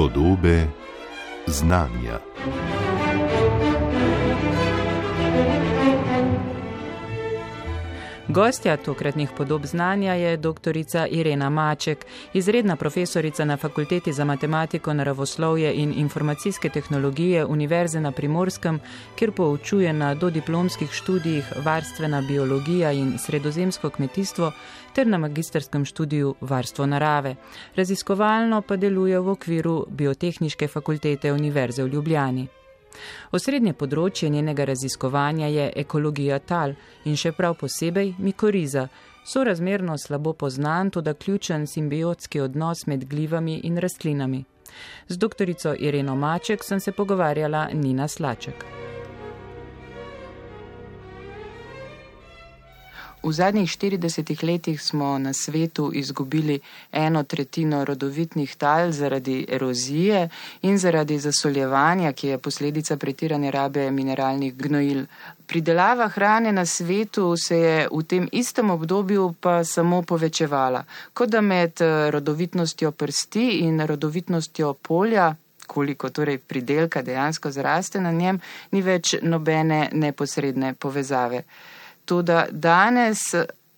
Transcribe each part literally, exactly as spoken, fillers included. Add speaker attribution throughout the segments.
Speaker 1: Podobe znanja.
Speaker 2: Gostja tokratnih podob znanja je doktorica Irena Maček, izredna profesorica na Fakulteti za matematiko, naravoslovje in informacijske tehnologije Univerze na Primorskem, kjer poučuje na dodiplomskih študijih varstvena biologija in sredozemsko kmetijstvo ter na magistrskem študiju varstvo narave. Raziskovalno pa deluje v okviru Biotehniške fakultete Univerze v Ljubljani. Osrednje področje njenega raziskovanja je ekologija tal in še prav posebej mikoriza, sorazmerno slabo poznan, toda ključen simbiotski odnos med glivami in rastlinami. Z doktorico Ireno Maček sem se pogovarjala Nina Slaček. V zadnjih štiridesetih letih smo na svetu izgubili eno tretjino rodovitnih tal zaradi erozije in zaradi zasoljevanja, ki je posledica pretirane rabe mineralnih gnojil. Pridelava hrane na svetu se je v tem istem obdobju pa samo povečevala, kot da med rodovitnostjo prsti in rodovitnostjo polja, koliko torej pridelka dejansko zraste na njem, ni več nobene neposredne povezave. Toda danes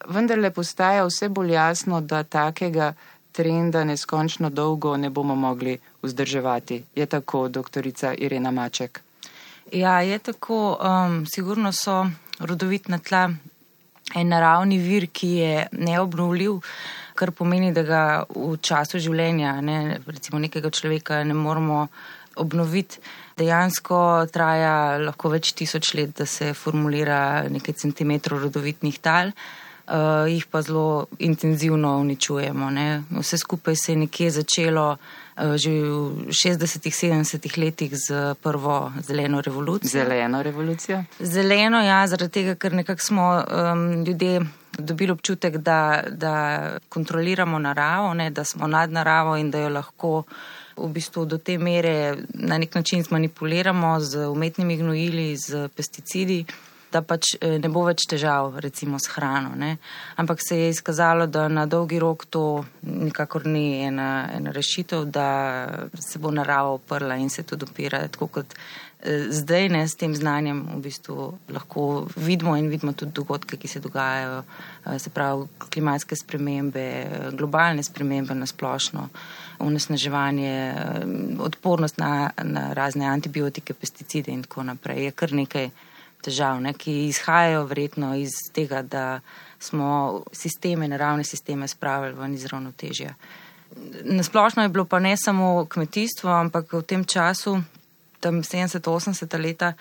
Speaker 2: vendarle postaja vse bolj jasno, da takega trenda neskončno dolgo ne bomo mogli vzdrževati. Je tako, doktorica Irena Maček?
Speaker 3: Ja, je tako. Um, sigurno so rodovitna tla en naravni vir, ki je neobnovljiv, kar pomeni, da ga v času življenja, ne, recimo nekega človeka, ne moramo obnoviti. Dejansko traja lahko več tisoč let, da se formulira nekaj centimetrov rodovitnih tal, uh, jih pa zelo intenzivno uničujemo. Ne. Vse skupaj se je nekje začelo uh, že v šestdesetih, sedemdesetih letih z prvo zeleno revolucijo.
Speaker 2: Zeleno revolucijo?
Speaker 3: Zeleno, ja, zaradi tega, ker nekako smo um, ljudje dobili občutek, da, da kontroliramo naravo, ne, da smo nad naravo in da jo lahko v bistvu do te mere na nek način zmanipuliramo z umetnimi gnojili, z pesticidi, da pač ne bo več težav recimo s hrano. Ne. Ampak se je izkazalo, da na dolgi rok to nikakor ni ena, ena rešitev, da se bo narava oprla in se tudi opira. Tako kot zdaj, ne, s tem znanjem v bistvu lahko vidimo in vidimo tudi dogodke, ki se dogajajo, se pravi klimatske spremembe, globalne spremembe na splošno, onesnaževanje, odpornost na, na razne antibiotike, pesticide in tako naprej. Je kar nekaj težav, ne, ki izhajajo verjetno iz tega, da smo sisteme, naravne sisteme spravili ven iz ravnotežja. Nasplošno je bilo pa ne samo kmetijstvo, ampak v tem času, tam sedemdeseta, osemdeseta leta,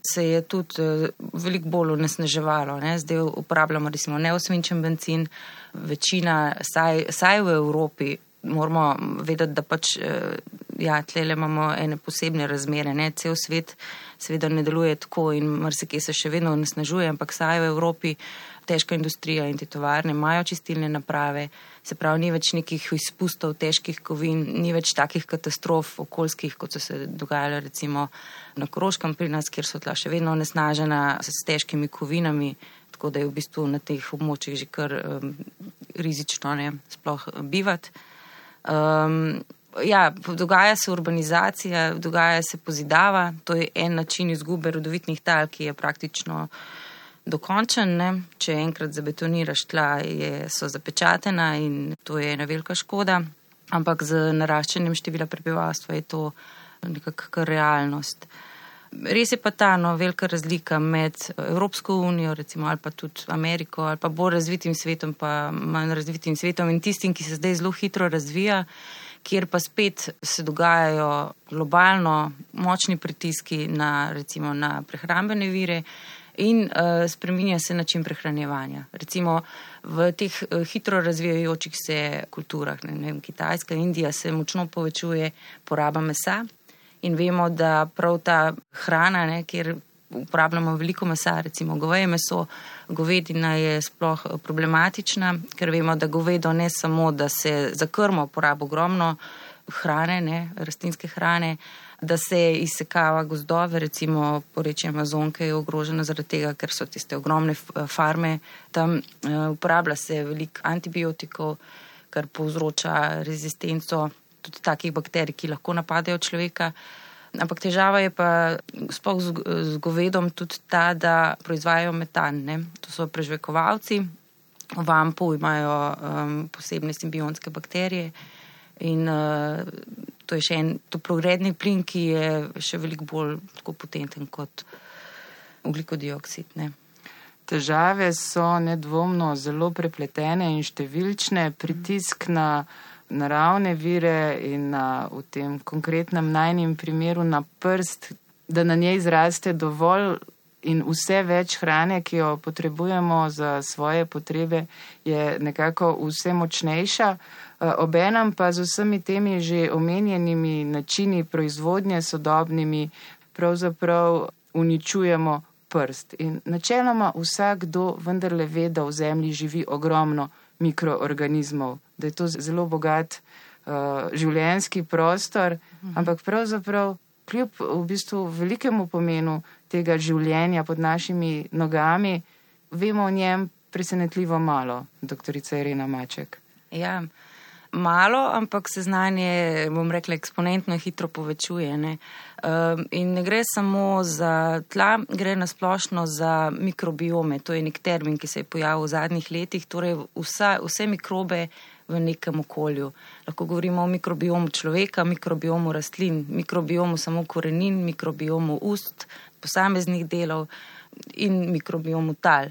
Speaker 3: se je tudi veliko bolj onesnaževalo. Ne. Zdaj uporabljamo recimo neosvinčen bencin, večina, saj, saj v Evropi, moramo vedeti, da pač, ja, tlele imamo ene posebne razmere, ne, cel svet seveda ne deluje tako in marsikje se še vedno onesnažuje, ampak saj v Evropi težka industrija in te tovarne imajo čistilne naprave, se pravi, ni več nekih izpustov težkih kovin, ni več takih katastrof okoljskih, kot so se dogajale recimo na Koroškem pri nas, kjer so tla še vedno onesnažena s težkimi kovinami, tako da je v bistvu na teh območjih že kar um, rizično, ne, sploh bivati. Um, ja, dogaja se urbanizacija, dogaja se pozidava, to je en način izgube rodovitnih tal, ki je praktično dokončen, ne. Če enkrat zabetoniraš tla, je, so zapečatena in to je ena velika škoda, ampak z naraščanjem števila prebivalstva je to nekakšna realnost. Res je pa ta no, velika razlika med Evropsko unijo, recimo, ali pa tudi Ameriko, ali pa bolj razvitim svetom, pa manj razvitim svetom in tistim, ki se zdaj zelo hitro razvija, kjer pa spet se dogajajo globalno močni pritiski na, recimo, na prehrambene vire in uh, spreminja se način prehranjevanja. Recimo v teh uh, hitro razvijajočih se kulturah, ne, ne vem, Kitajska, Indija, se močno povečuje poraba mesa. In vemo, da prav ta hrana, ne, kjer uporabljamo veliko mesa, recimo goveje meso, govedina je sploh problematična, ker vemo, da govedo ne samo, da se za krmo uporaba ogromno hrane, ne, rastlinske hrane, da se izsekava gozdove, recimo porečje Amazonke je ogroženo zaradi tega, ker so tiste ogromne farme, tam uh, uporablja se veliko antibiotikov, kar povzroča rezistenco. tudi takih bakterij, ki lahko napadajo človeka. Ampak težava je pa sploh z, z govedom tudi ta, da proizvajajo metan. Ne? To so prežvekovalci, v vampu imajo um, posebne simbionske bakterije in uh, to je še en toplogredni plin, ki je še veliko bolj tako potenten kot ogljikodioksid. Ne?
Speaker 2: Težave so nedvomno zelo prepletene in številčne. Pritisk na naravne vire in na, v tem konkretnem najnim primeru na prst, da na njej zraste dovolj in vse več hrane, ki jo potrebujemo za svoje potrebe, je nekako vse močnejša. Obenem pa z vsemi temi že omenjenimi načini proizvodnje sodobnimi pravzaprav uničujemo prst. In načeloma vsakdo vendarle ve, da v zemlji živi ogromno mikroorganizmov, da je to zelo bogat uh, življenjski prostor, mhm. ampak pravzaprav kljub v bistvu velikemu pomenu tega življenja pod našimi nogami, vemo o njem presenetljivo malo, doktorica Irena Maček.
Speaker 3: Ja, malo, ampak se znanje, bom rekla, eksponentno hitro povečuje. Ne? Um, in ne gre samo za tla, gre nasplošno za mikrobiome. To je nek termin, ki se je pojavil v zadnjih letih, torej vsa, vse mikrobe v nekem okolju. Lahko govorimo o mikrobiomu človeka, mikrobiomu rastlin, mikrobiomu samo korenin, mikrobiomu ust, posameznih delov in mikrobiomu tal.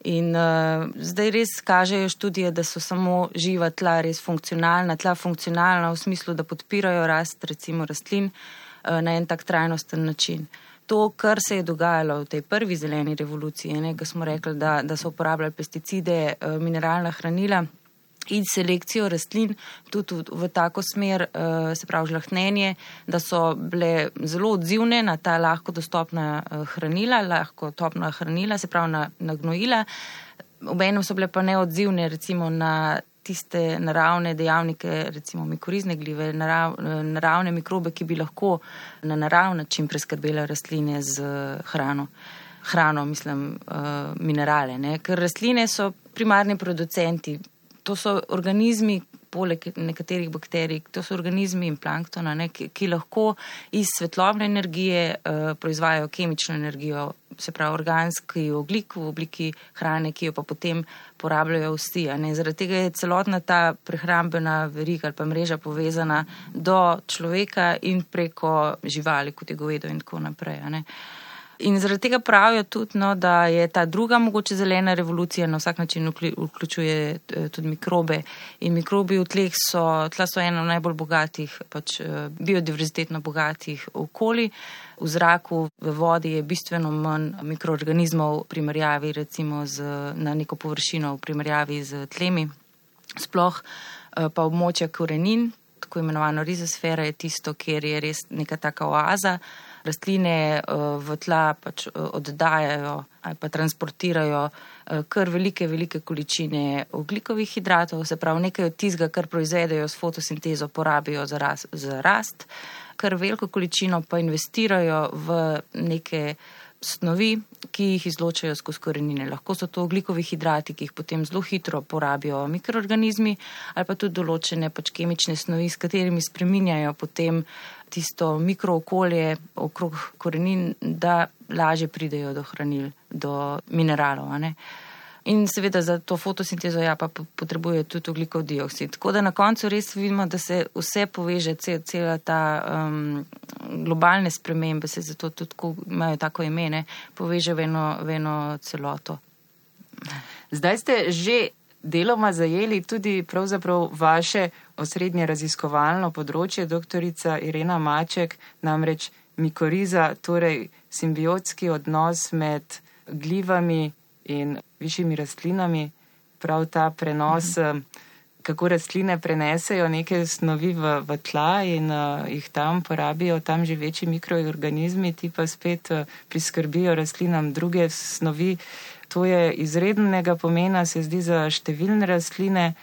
Speaker 3: In uh, zdaj res kažejo študije, da so samo živa tla res funkcionalna, tla funkcionalna v smislu, da podpirajo rast recimo rastlin uh, na en tak trajnosten način. To, kar se je dogajalo v tej prvi zeleni revoluciji, ne, ko smo rekli, da, da so uporabljali pesticide, uh, mineralna hranila in selekcijo rastlin tudi v, v tako smer, uh, se pravi žlahtnenje, da so bile zelo odzivne na ta lahko dostopna uh, hranila, lahko topna hranila, se pravi na, na gnojila. Obenem so bile pa neodzivne recimo na tiste naravne dejavnike, recimo mikorizne glive, narav, naravne mikrobe, ki bi lahko na naravni način preskrbele rastline z hrano. Hrano, mislim, uh, minerale. Ne? Ker rastline so primarni producenti. To so organizmi, poleg nekaterih bakterij, to so organizmi in planktona, ne, ki, ki lahko iz svetlobne energije uh, proizvajajo kemično energijo, se pravi organski ogljik v obliki hrane, ki jo pa potem porabljajo vsi. Zaradi tega je celotna ta prehrambena veriga ali pa mreža povezana do človeka in preko živali, kot je govedo in tako naprej. Ne. In zaradi tega pravijo tudi, no, da je ta druga mogoče zelena revolucija na vsak način vključuje tudi mikrobe. In mikrobi v tleh so, tla so eno najbolj bogatih, pač biodiverzitetno bogatih okolij. V zraku, v vodi je bistveno manj mikroorganizmov v primerjavi recimo z, na neko površino v primerjavi z tlemi. Sploh pa območja korenin, tako imenovano rizosfera, je tisto, kjer je res neka taka oaza. Rastline v tla pač oddajajo ali pa transportirajo kar velike, velike količine ogljikovih hidratov, se pravi nekaj od tistega, kar proizvedejo s fotosintezo, porabijo za rast, za rast, kar veliko količino pa investirajo v neke snovi, ki jih izločajo skozi korenine. Lahko so to ogljikovih hidrati, ki jih potem zelo hitro porabijo mikroorganizmi, ali pa tudi določene pač kemične snovi, s katerimi spreminjajo potem tisto mikrookolje okrog korenin, da lažje pridejo do hranil, do mineralov. Ne? In seveda za to fotosintezo ja pa potrebuje tudi ogljikov dioksid. Tako da na koncu res vidimo, da se vse poveže, cel, cela ta um, globalne spremembe, se zato tudi ko imajo tako imene, poveže v eno, v eno celoto.
Speaker 2: Zdaj ste že deloma zajeli tudi pravzaprav vaše osrednje raziskovalno področje, doktorica Irena Maček, namreč mikoriza, torej simbiotski odnos med glivami in višjimi rastlinami, prav ta prenos, mhm. kako rastline prenesejo neke snovi v, v tla in uh, jih tam porabijo, tam živeči mikroorganizmi, ti pa spet uh, priskrbijo rastlinam druge snovi. To je izrednega pomena, se zdi, za številne rastline,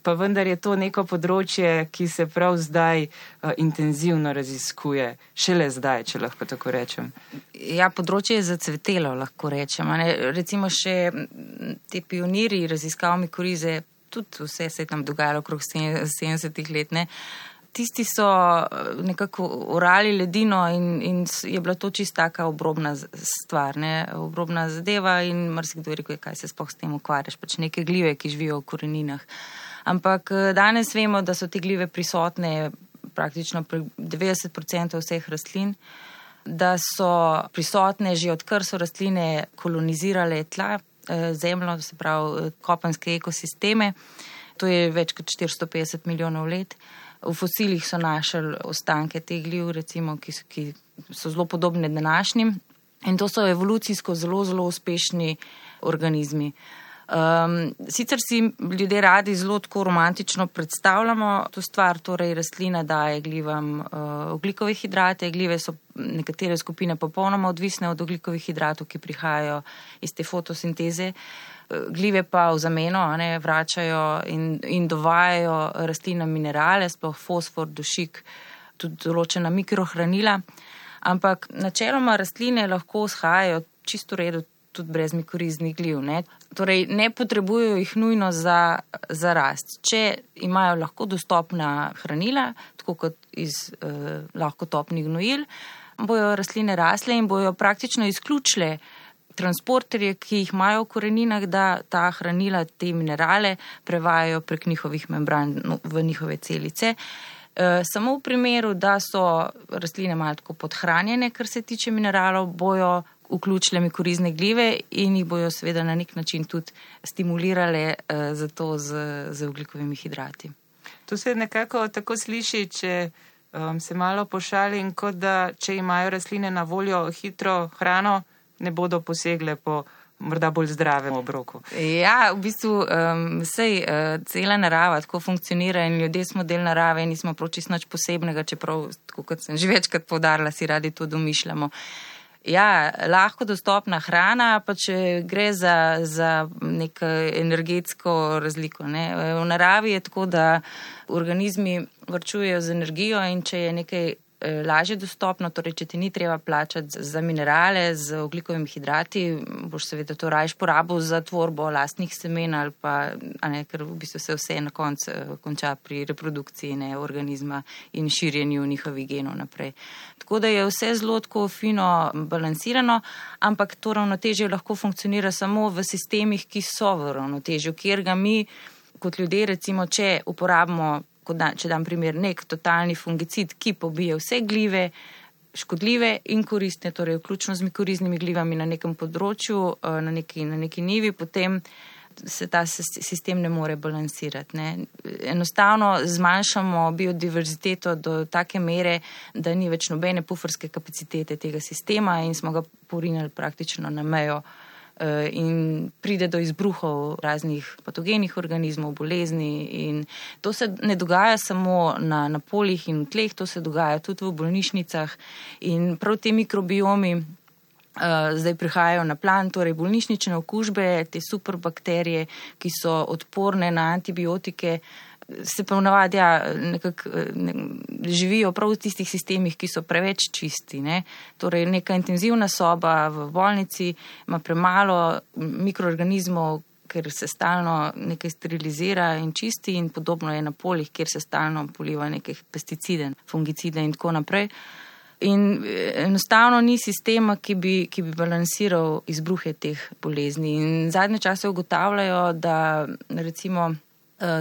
Speaker 2: pa vendar je to neko področje, ki se prav zdaj uh, intenzivno raziskuje. Šele zdaj, če lahko tako rečem.
Speaker 3: Ja, področje je zacvetelo, lahko rečem. Ne? Recimo še te pioniri raziskav mikorize, tudi vse se je tam dogajalo okrog sedemdesetih let, ne? tisti so nekako orali ledino in, in je bila to čist taka obrobna stvar, ne, obrobna zadeva in marsikdo je rekel, kaj se sploh s tem ukvarjaš, pač neke glive, ki živijo v koreninah. Ampak danes vemo, da so te glive prisotne praktično pri devetdeset procentov vseh rastlin, da so prisotne že odkar so rastline kolonizirale tla, zemljo, se pravi kopenske ekosisteme. To je več kot štiristo petdeset milijonov let. V fosilih so našli ostanke teh gliv, recimo, ki so, ki so zelo podobne današnjim. In to so evolucijsko zelo, zelo uspešni organizmi. Um, sicer si ljudje radi zelo tako romantično predstavljamo to stvar, torej rastlina daje glivam uh, oglikove hidrate, glive so nekatere skupine popolnoma odvisne od oglikovih hidratov, ki prihajajo iz te fotosinteze, glive pa v zameno ne, vračajo in, in dovajajo rastlinam minerale, sploh fosfor, dušik, tudi določena mikrohranila, ampak načeloma rastline lahko shajajo čisto redu tudi brez mikoriznih gliv. Ne. Torej, ne potrebujejo jih nujno za, za rast. Če imajo lahko dostopna hranila, tako kot iz eh, lahko topnih gnojil, bojo rastline rasle in bojo praktično izključile transporterje, ki jih imajo v koreninah, da ta hranila, te minerale prevajajo prek njihovih membran v njihove celice. E, samo v primeru, da so rastline malo tako podhranjene, kar se tiče mineralov, bojo vključile mikorizne glive in jih bojo seveda na nek način tudi stimulirale eh, za to z, z oglikovimi hidrati.
Speaker 4: To se nekako tako sliši, če um, se malo pošalim, kot da če imajo rastline na voljo hitro hrano, ne bodo posegle po morda bolj zdravem obroku.
Speaker 3: Ja, v bistvu um, sej uh, cela narava tako funkcionira in ljudje smo del narave in nismo prav čisto nič posebnega, čeprav, tako kot sem že večkrat poudarila, si radi to domišljamo. Ja, lahko dostopna hrana, pa če gre za, za neko energetsko razliko. Ne. V naravi je tako, da organizmi varčujejo z energijo in če je nekaj lažje dostopno, torej če ti ni treba plačati za minerale, z oglikovimi hidrati, boš seveda to rajš porabil za tvorbo lastnih semen ali pa, a ne, ker v bistvu se vse na koncu konča pri reprodukciji ne, organizma in širjenju njihovih genov naprej. Tako da je vse zelo tako fino balansirano, ampak to ravnotežje lahko funkcionira samo v sistemih, ki so v ravnotežju, kjer ga mi kot ljudje, recimo, če uporabimo, da, če dam primer, nek totalni fungicid, ki pobije vse glive, škodljive in koristne, torej vključno z mikoriznimi glivami na nekem področju, na neki, na neki nivi, potem se ta sistem ne more balansirati. Ne. Enostavno zmanjšamo biodiverziteto do take mere, da ni več nobene puferske kapacitete tega sistema in smo ga porinili praktično na mejo in pride do izbruhov raznih patogenih organizmov, bolezni in to se ne dogaja samo na, na poljih in v tleh, to se dogaja tudi v bolnišnicah in prav te mikrobiomi uh, zdaj prihajajo na plan, torej bolnišnične okužbe, te superbakterije, ki so odporne na antibiotike, se pa navadi ja, nekako ne, živijo prav v tistih sistemih, ki so preveč čisti. Ne. Torej neka intenzivna soba v bolnici ima premalo mikroorganizmov, ker se stalno nekaj sterilizira in čisti in podobno je na poljih, kjer se stalno poliva neke pesticide, fungicide in tako naprej. In enostavno ni sistema, ki bi, ki bi balansiral izbruhe teh bolezni. In zadnje čase ugotavljajo, da recimo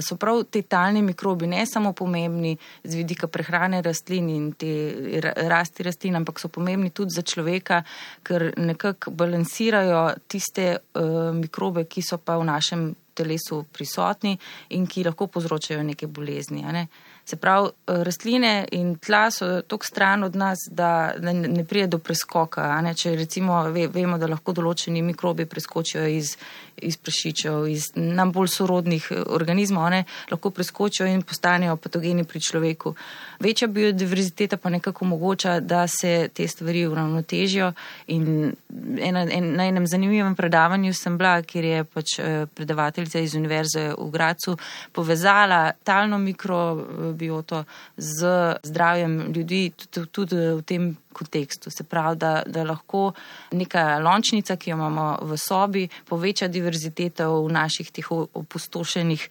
Speaker 3: so prav te talni mikrobi ne samo pomembni z vidika prehrane rastlin in te rasti rastlin, ampak so pomembni tudi za človeka, ker nekako balansirajo tiste uh, mikrobe, ki so pa v našem telesu prisotni in ki lahko povzročajo neke bolezni. A ne? Se pravi, rastline in tla so toliko stran od nas, da ne pride do preskoka. A ne? Če recimo ve, vemo, da lahko določeni mikrobi preskočijo iz, iz prašičev, iz nam bolj sorodnih organizmov, a ne? Lahko preskočijo in postanejo patogeni pri človeku. Večja biodiverziteta pa nekako omogoča, da se te stvari uravnotežijo in ena, en, na enem zanimivem predavanju sem bila, kjer je pač predavateljica iz Univerze v Gradcu povezala talno mikro mikrobioto z zdravjem ljudi tudi, tudi v tem kontekstu. Se pravi, da, da lahko neka lončnica, ki jo imamo v sobi, poveča diverziteto v naših teh opustošenih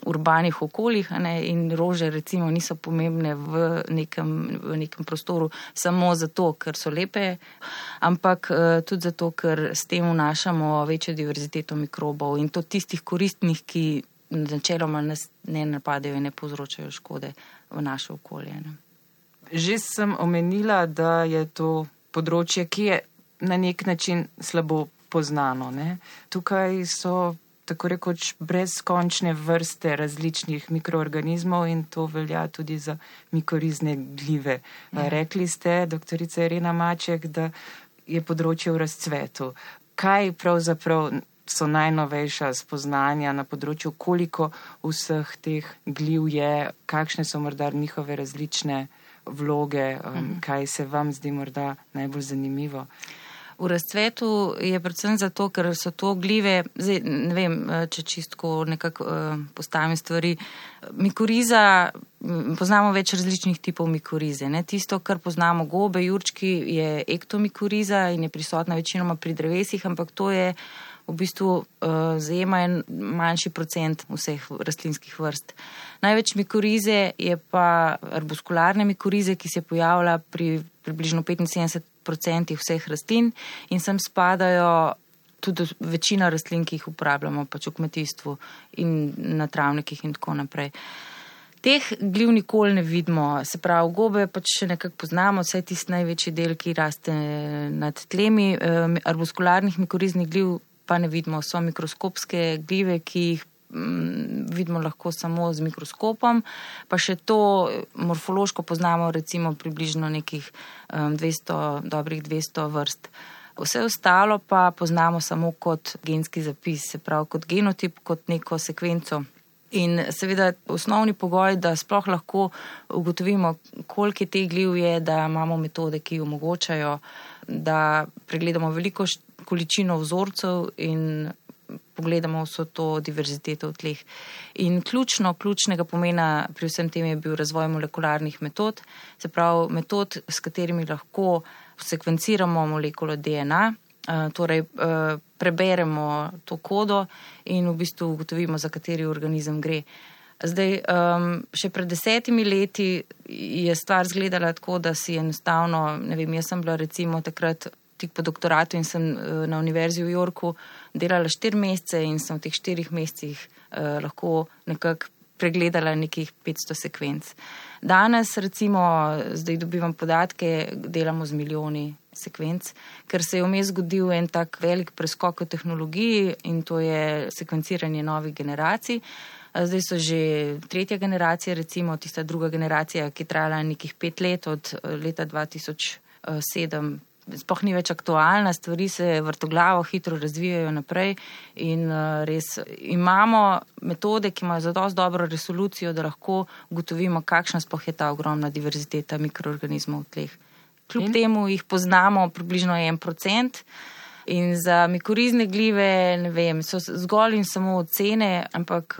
Speaker 3: urbanih okoljih, ne, in rože recimo niso pomembne v nekem, v nekem prostoru samo zato, ker so lepe, ampak tudi zato, ker s tem vnašamo večjo diverziteto mikrobov in to tistih koristnih, ki načeloma nas ne napadejo in ne povzročajo škode v naše okolje. Ne.
Speaker 4: Že sem omenila, da je to področje, ki je na nek način slabo poznano. Ne? Tukaj so tako rekoč brezkončne vrste različnih mikroorganizmov in to velja tudi za mikorizne glive. Ja. Rekli ste, doktorica Irena Maček, da je področje v razcvetu. Kaj pravzaprav so najnovejša spoznanja na področju, koliko vseh teh gliv je, kakšne so morda njihove različne vloge, um, kaj se vam zdi morda najbolj zanimivo?
Speaker 3: V razcvetu je predvsem zato, ker so to glive, zdaj ne vem, če čistko nekako uh, postavim stvari. Mikoriza, poznamo več različnih tipov mikorize. Ne? Tisto, kar poznamo gobe, jurčki, je ektomikoriza in je prisotna večinoma pri drevesih, ampak to je v bistvu uh, zajema en manjši procent vseh rastlinskih vrst. Največ mikorize je pa arbuskularne mikorize, ki se pojavlja pri približno petinsedemdeset procentih vseh rastlin in sem spadajo tudi večina rastlin, ki jih uporabljamo pač v kmetijstvu in na travnikih in tako naprej. Teh gliv nikoli ne vidimo, se pravi, gobe pač še nekako poznamo, vsaj tisti največji del, ki raste nad tlemi, uh, arbuskularnih mikoriznih gliv pa ne vidimo, so mikroskopske glive, ki jih mm, vidimo lahko samo z mikroskopom, pa še to morfološko poznamo recimo približno nekih um, dvesto, dobrih dvesto vrst. Vse ostalo pa poznamo samo kot genski zapis, se pravi kot genotip, kot neko sekvenco. In seveda osnovni pogoj, da sploh lahko ugotovimo, koliko teh gliv je, da imamo metode, ki omogočajo, da pregledamo veliko količino vzorcev in pogledamo vso to diverziteto v tleh. In ključno, ključnega pomena pri vsem tem je bil razvoj molekularnih metod, se pravi metod, s katerimi lahko sekvenciramo molekulo D N A, torej preberemo to kodo in v bistvu ugotovimo, za kateri organizem gre. Zdaj, še pred desetimi leti je stvar izgledala tako, da si enostavno, ne vem, jaz sem bila recimo takrat tik po doktoratu in sem na univerzi v Yorku delala štiri mesece in sem v teh štirih mesecih eh, lahko nekako pregledala nekih petsto sekvenc. Danes recimo, zdaj dobivam podatke, delamo z milijoni sekvenc, ker se je vmes zgodil en tak velik preskok v tehnologiji in to je sekvenciranje novih generacij. Zdaj so že tretja generacija, recimo tista druga generacija, ki je trajala nekih pet let od leta dva tisoč sedem, sploh ni več aktualna, stvari se vrtoglavo hitro razvijajo naprej in res imamo metode, ki imajo zadosti dobro resolucijo, da lahko ugotovimo, kakšna sploh je ta ogromna diverziteta mikroorganizmov v tleh. Kljub in? Temu jih poznamo približno en procent in za mikorizne glive, ne vem, so zgolj in samo ocene, ampak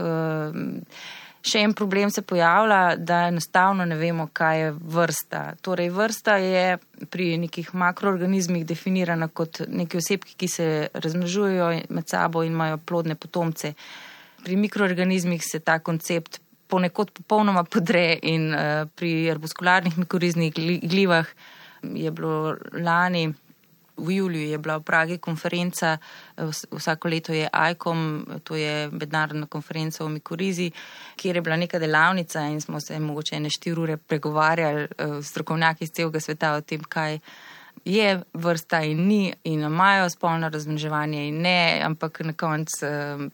Speaker 3: še en problem se pojavlja, da enostavno ne vemo, kaj je vrsta. Torej, vrsta je pri nekih makroorganizmih definirana kot neki osebki, ki se razmnožujejo med sabo in imajo plodne potomce. Pri mikroorganizmih se ta koncept ponekod popolnoma podre in uh, pri arbuskularnih mikoriznih glivah je bilo lani v juliju je bila v Pragi konferenca, vsako leto je I C O M, to je mednarodna konferenca o mikorizi, kjer je bila neka delavnica in smo se mogoče ene štiri ure pregovarjali strokovnjaki iz celega sveta o tem, kaj je vrsta in ni in imajo spolno razmnoževanje in ne, ampak na koncu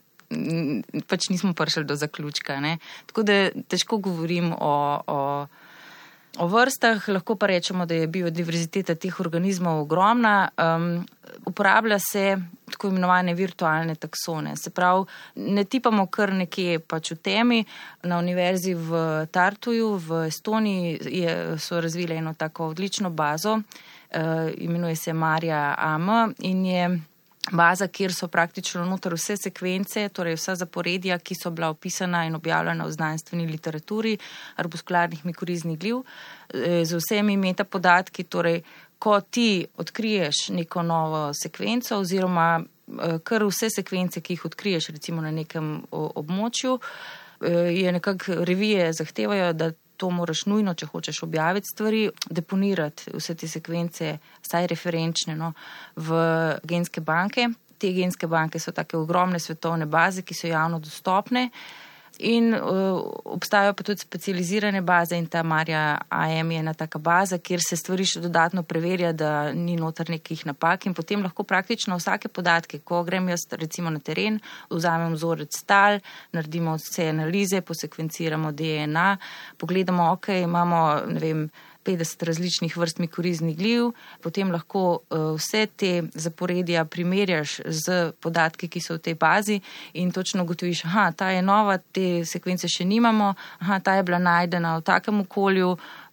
Speaker 3: pač nismo prišli do zaključka. Ne? Tako da težko govorim o, o O vrstah, lahko pa rečemo, da je biodiverziteta teh organizmov ogromna. Um, uporablja se tako imenovane virtualne taksone. Se pravi, ne tipamo kar nekje pač v temi. Na univerzi v Tartuju v Estoniji je, so razvile eno tako odlično bazo, uh, imenuje se Marja A M in je baza, kjer so praktično noter vse sekvence, torej vsa zaporedja, ki so bila opisana in objavljena v znanstveni literaturi arbuskularnih mikoriznih gliv, z vsemi metapodatki, torej ko ti odkriješ neko novo sekvenco oziroma kar vse sekvence, ki jih odkriješ recimo na nekem območju, je nekako revije zahtevajo, da to moraš nujno, če hočeš objaviti stvari, deponirati vse te sekvence, vsaj referenčne, no, v genske banke. Te genske banke so take ogromne svetovne baze, ki so javno dostopne in uh, obstajajo pa tudi specializirane baze in ta Maria A M je ena taka baza, kjer se stvari še dodatno preverja, da ni noter nekih napak in potem lahko praktično vsake podatke, ko grem jaz recimo na teren, vzamem vzorec tal, naredimo vse analize, posekvenciramo D N A, pogledamo, ok, imamo, ne vem, petdeset različnih vrst mikoriznih gliv, potem lahko uh, vse te zaporedja primerjaš z podatki, ki so v tej bazi in točno ugotoviš, aha, ta je nova, te sekvence še nimamo, aha, ta je bila najdena v takem okolju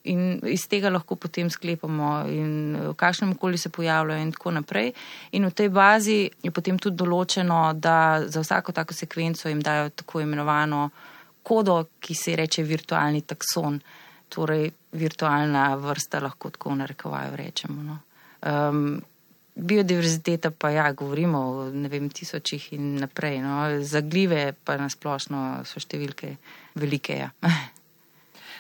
Speaker 3: in iz tega lahko potem sklepamo in v kakšnem okolju se pojavljajo in tako naprej. In v tej bazi je potem tudi določeno, da za vsako tako sekvenco jim dajo tako imenovano kodo, ki se reče virtualni takson. Torej virtualna vrsta, lahko tako v narekovaju rečemo. No. Um, biodiverziteta pa ja, govorimo o ne vem, tisočih in naprej. No. Za glive pa nasplošno so številke velike. Ja.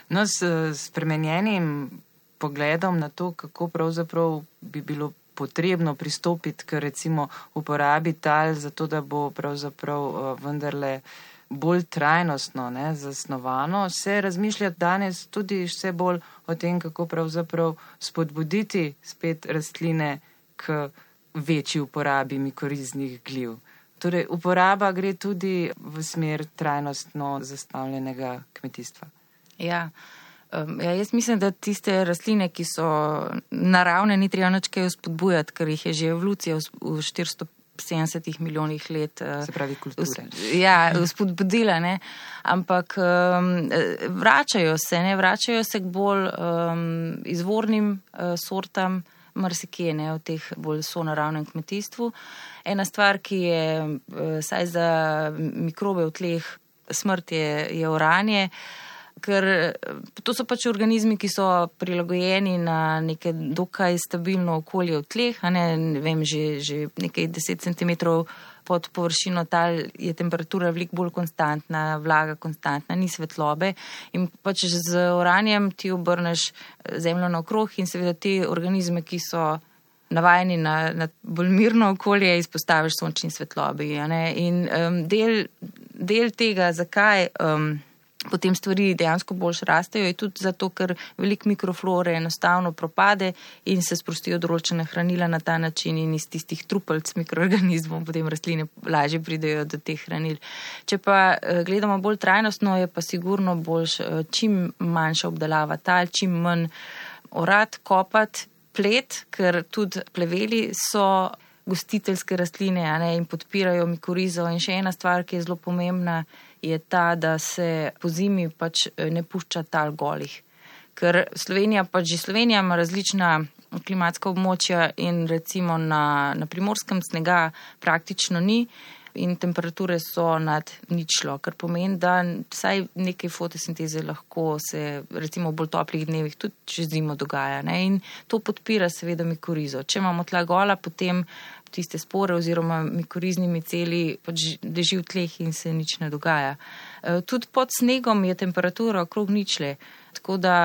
Speaker 4: No, s spremenjenim pogledom na to, kako pravzaprav bi bilo potrebno pristopiti k recimo uporabi tal, zato da bo pravzaprav uh, vendarle bolj trajnostno, ne, zasnovano, se razmišlja danes tudi vse bolj o tem, kako pravzaprav spodbuditi spet rastline k večji uporabi mikoriznih gliv. Torej, uporaba gre tudi v smer trajnostno zastavljenega kmetijstva.
Speaker 3: Ja, um, ja, jaz mislim, da tiste rastline, ki so naravne, ni treba nič kaj spodbujati, ker jih je že evolucija v štiristo sedemdesetih milijonih let.
Speaker 4: Se pravi kulture.
Speaker 3: Ja, spodbudila, ne. Ampak um, vračajo se, ne, vračajo se k bolj um, izvornim uh, sortam, marsikje, ne, v teh bolj sonaravnem kmetijstvu. Ena stvar, ki je uh, saj za mikrobe v tleh smrt je, je oranje, ker to so pač organizmi, ki so prilagojeni na neke dokaj stabilno okolje v tleh, a ne, ne vem, že, že nekaj deset centimetrov pod površino tal je temperatura veliko bolj konstantna, vlaga konstantna, ni svetlobe in pač z oranjem ti obrneš zemljo naokrog in seveda te organizme, ki so navajeni na, na bolj mirno okolje, izpostaviš sončni svetlobi, a ne, in um, del, del tega, zakaj um, potem stvari dejansko boljš rastejo, je tudi zato, ker veliko mikroflore enostavno propade in se sprostijo določene hranila na ta način in iz tistih trupelc mikroorganizmov potem rastline lažje pridejo do teh hranil. Če pa gledamo bolj trajnostno, je pa sigurno boljš čim manjša obdelava tal, čim manj orati, kopati, plet, ker tudi pleveli so gostiteljske rastline, a ne, in podpirajo mikorizo. In še ena stvar, ki je zelo pomembna, je ta, da se po zimi pač ne pušča tal golih. Ker Slovenija, pač že Slovenija ima različna klimatska območja in recimo na, na Primorskem snega praktično ni in temperature so nad ničlo, kar pomeni, da vsaj nekaj fotosinteze lahko se recimo v bolj toplih dnevih tudi čez zimo dogaja, ne? In to podpira seveda mikorizo. Če imamo tla gola, potem tiste spore oziroma mikorizni miceli pač leži v tleh in se nič ne dogaja. Tudi pod snegom je temperatura okrog ničle, tako da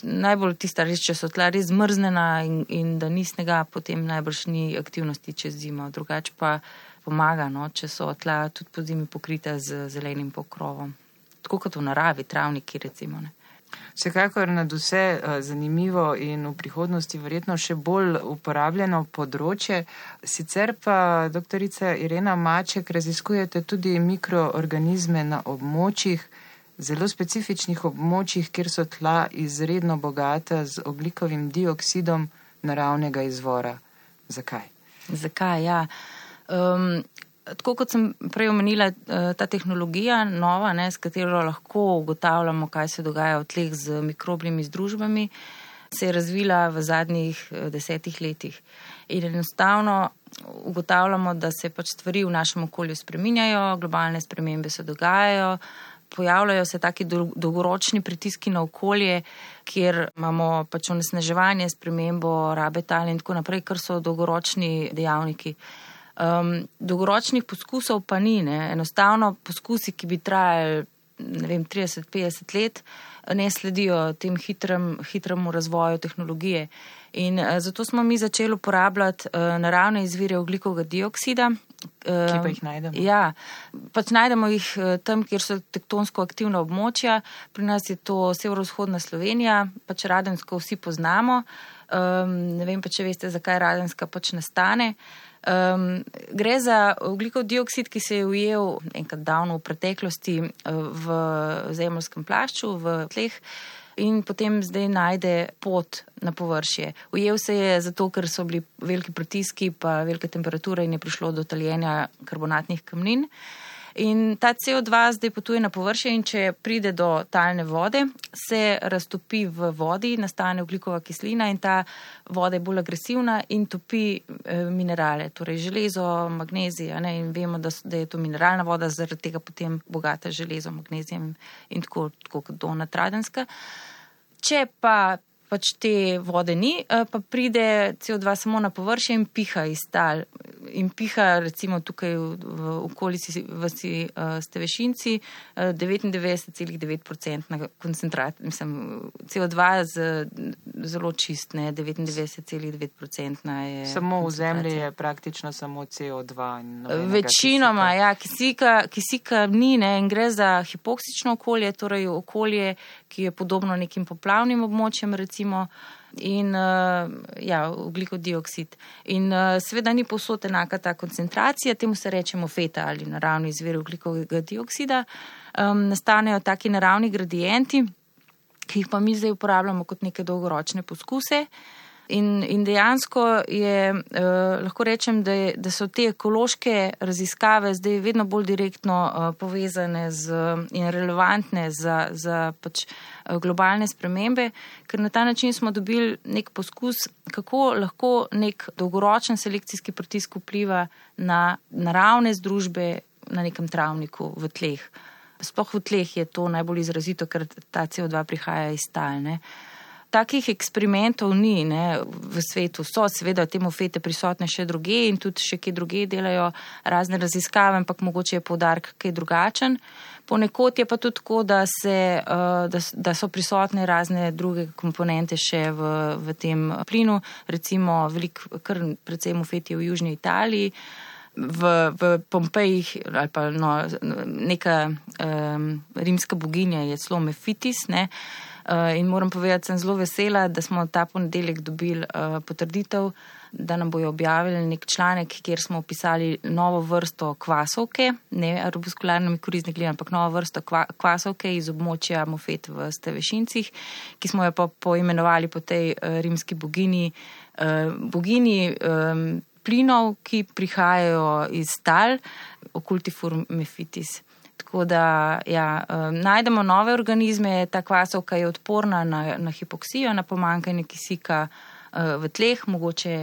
Speaker 3: najbolj tista res, če so tla res zmrznjena in, in da ni snega, potem najbrž ni aktivnosti čez zimo. Drugače pa pomaga, no, če so tla tudi po zimi pokrita z zelenim pokrovom. Tako kot v naravi, travniki recimo, ne.
Speaker 4: Vsekakor nad vse zanimivo in v prihodnosti verjetno še bolj uporabljeno področje. Sicer pa, doktorica Irena Maček, raziskujete tudi mikroorganizme na območjih, zelo specifičnih območjih, kjer so tla izredno bogata z ogljikovim dioksidom naravnega izvora. Zakaj?
Speaker 3: Zakaj, ja. Um, Tako kot sem prej omenila, ta tehnologija nova, ne, s katero lahko ugotavljamo, kaj se dogaja v tleh z mikrobnimi združbami, se je razvila v zadnjih desetih letih. In enostavno ugotavljamo, da se pač stvari v našem okolju spreminjajo, globalne spremembe se dogajajo, pojavljajo se taki dolgoročni pritiski na okolje, kjer imamo pač onesnaževanje, spremembo rabe tal in tako naprej, kar so dolgoročni dejavniki. Um, dolgoročnih poskusov pa ni, ne. Enostavno poskusi, ki bi trajali, ne vem, trideset petdeset let, ne sledijo tem hitrem, hitremu razvoju tehnologije. In uh, zato smo mi začeli uporabljati uh, naravne izvire ogljikovega dioksida. Uh,
Speaker 4: Ki pa jih najdemo?
Speaker 3: Ja, pač najdemo jih uh, tam, kjer so tektonsko aktivna območja. Pri nas je to severovzhodna Slovenija, pač Radensko vsi poznamo. Um, ne vem pa, če veste, zakaj Radenska pač nastane. Um, gre za ogljikov dioksid, ki se je ujel enkrat davno v preteklosti v zemeljskem plašču, v tleh in potem zdaj najde pot na površje. Ujel se je zato, ker so bili veliki pritiski pa velike temperature in je prišlo do taljenja karbonatnih kamnin. In ta C O dva zdaj potuje na površje in če pride do talne vode, se raztopi v vodi, nastane ogljikova kislina in ta voda je bolj agresivna in topi e, minerale, torej železo, magnezij, ne, in vemo, da, da je to mineralna voda, zaradi tega potem bogata železo, magnezijem in tako, tako kot Donat Radenska. Če pa pač te vode ni, pa pride C O dva samo na površje in piha iz tal. In piha recimo tukaj v, v okolici vasi uh, Stevešinci uh, devetindevetdeset celih devet procenta koncentrat, mislim, C O dva z, zelo čist, ne, devetindevetdeset celih devet procenta je.
Speaker 4: Samo v zemlji je praktično samo C O dva.
Speaker 3: Večinoma, kisika. ja, kisika, kisika ni, ne, in gre za hipoksično okolje, torej okolje, ki je podobno nekim poplavnim območjem, recimo, in uh, ja, ogljikov dioksid. In uh, seveda ni povsod enaka ta koncentracija, temu se rečemo feta ali naravni izvir ogljikovega dioksida. Um, nastanejo taki naravni gradienti, ki jih pa mi zdaj uporabljamo kot neke dolgoročne poskuse. In, in dejansko je, eh, lahko rečem, da, je, da so te ekološke raziskave zdaj vedno bolj direktno eh, povezane z, in relevantne za, za pač globalne spremembe, ker na ta način smo dobili nek poskus, kako lahko nek dolgoročen selekcijski pritisk vpliva na naravne združbe na nekem travniku v tleh. Sploh v tleh je to najbolj izrazito, ker ta C O dva prihaja iz tal, ne. Takih eksperimentov ni, ne, v svetu. So seveda temu fete prisotne še druge in tudi še kje druge delajo razne raziskave, ampak mogoče je poudarek kaj drugačen. Ponekod je pa tudi tako, da, se, da, da so prisotne razne druge komponente še v, v tem plinu, recimo velik, kar predvsem v feti v južni Italiji, v, v Pompejih ali pa no, neka um, rimska boginja je celo Mefitis, ne. Uh, in moram povedati, sem zelo vesela, da smo ta ponedeljek dobili uh, potrditev, da nam bojo objavili nek članek, kjer smo opisali novo vrsto kvasovke, ne arbuskularne mikorizne gline, ampak novo vrsto kva, kvasovke iz območja Mofet v Stevešincih, ki smo jo pa poimenovali po tej uh, rimski bogini, uh, bogini um, plinov, ki prihajajo iz tal, Occultifur Mephitis. Tako da, ja, najdemo nove organizme, ta kvasovka je odporna na, na hipoksijo, na pomanjkanje kisika v tleh, mogoče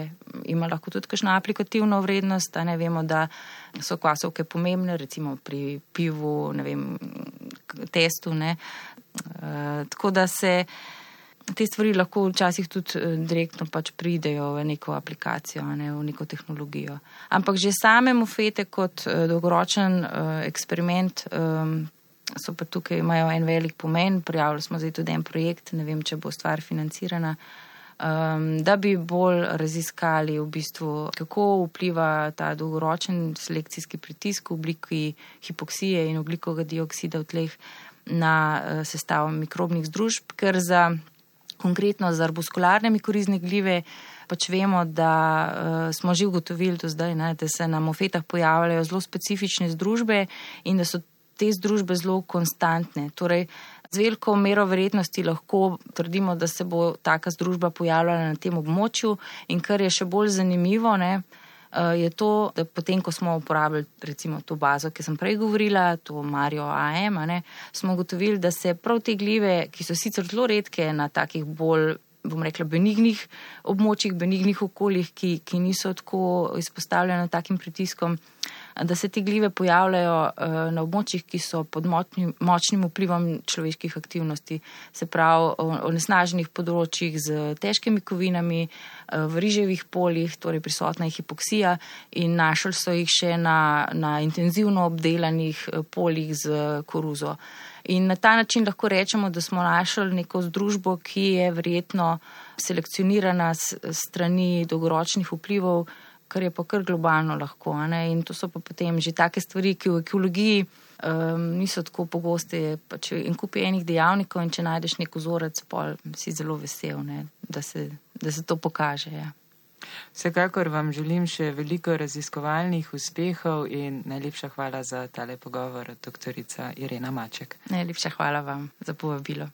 Speaker 3: ima lahko tudi kakšno aplikativno vrednost, a ne vemo, da so kvasovke pomembne, recimo pri pivu, ne vem, testu, ne. Tako da se te stvari lahko včasih tudi direktno pač pridejo v neko aplikacijo, ne, v neko tehnologijo. Ampak že same mofete kot dolgoročen uh, eksperiment um, so pa tukaj, imajo en velik pomen. Prijavili smo zdaj tudi en projekt, ne vem, če bo stvar financirana, um, da bi bolj raziskali v bistvu, kako vpliva ta dolgoročen selekcijski pritisk v obliki hipoksije in ogljikovega dioksida v tleh na uh, sestavo mikrobnih združb, ker za konkretno za arbuskularne mikorizne glive pač vemo, da uh, smo že ugotovili do zdaj, ne, da se na mofetah pojavljajo zelo specifične združbe in da so te združbe zelo konstantne. Torej, z veliko mero verjetnosti lahko trdimo, da se bo taka združba pojavljala na tem območju in kar je še bolj zanimivo, ne, uh, je to, da potem, ko smo uporabili recimo to bazo, ki sem prej govorila, to Mario A M, ne, smo ugotovili, da se prav te glive, ki so sicer zelo redke na takih bolj bom rekla, benignih območjih, benignih okoljih, ki, ki niso tako izpostavljene takim pritiskom, da se te glive pojavljajo na območjih, ki so pod močnim, močnim vplivom človeških aktivnosti, se pravi o onesnaženih področjih z težkimi kovinami, v riževih poljih, torej prisotna je hipoksija in našli so jih še na, na intenzivno obdelanih poljih z koruzo. In na ta način lahko rečemo, da smo našli neko združbo, ki je verjetno selekcionirana s strani dolgoročnih vplivov, kar je pa kar globalno lahko. Ne? In to so pa potem že take stvari, ki v ekologiji um, niso tako pogoste. Pač en kup enih dejavnikov in če najdeš nek vzorec, pol si zelo vesel, ne? Da, se, da se to pokaže. Ja.
Speaker 4: Vsekakor vam želim še veliko raziskovalnih uspehov in najlepša hvala za tale pogovor, doktorica Irena Maček.
Speaker 3: Najlepša hvala vam za povabilo.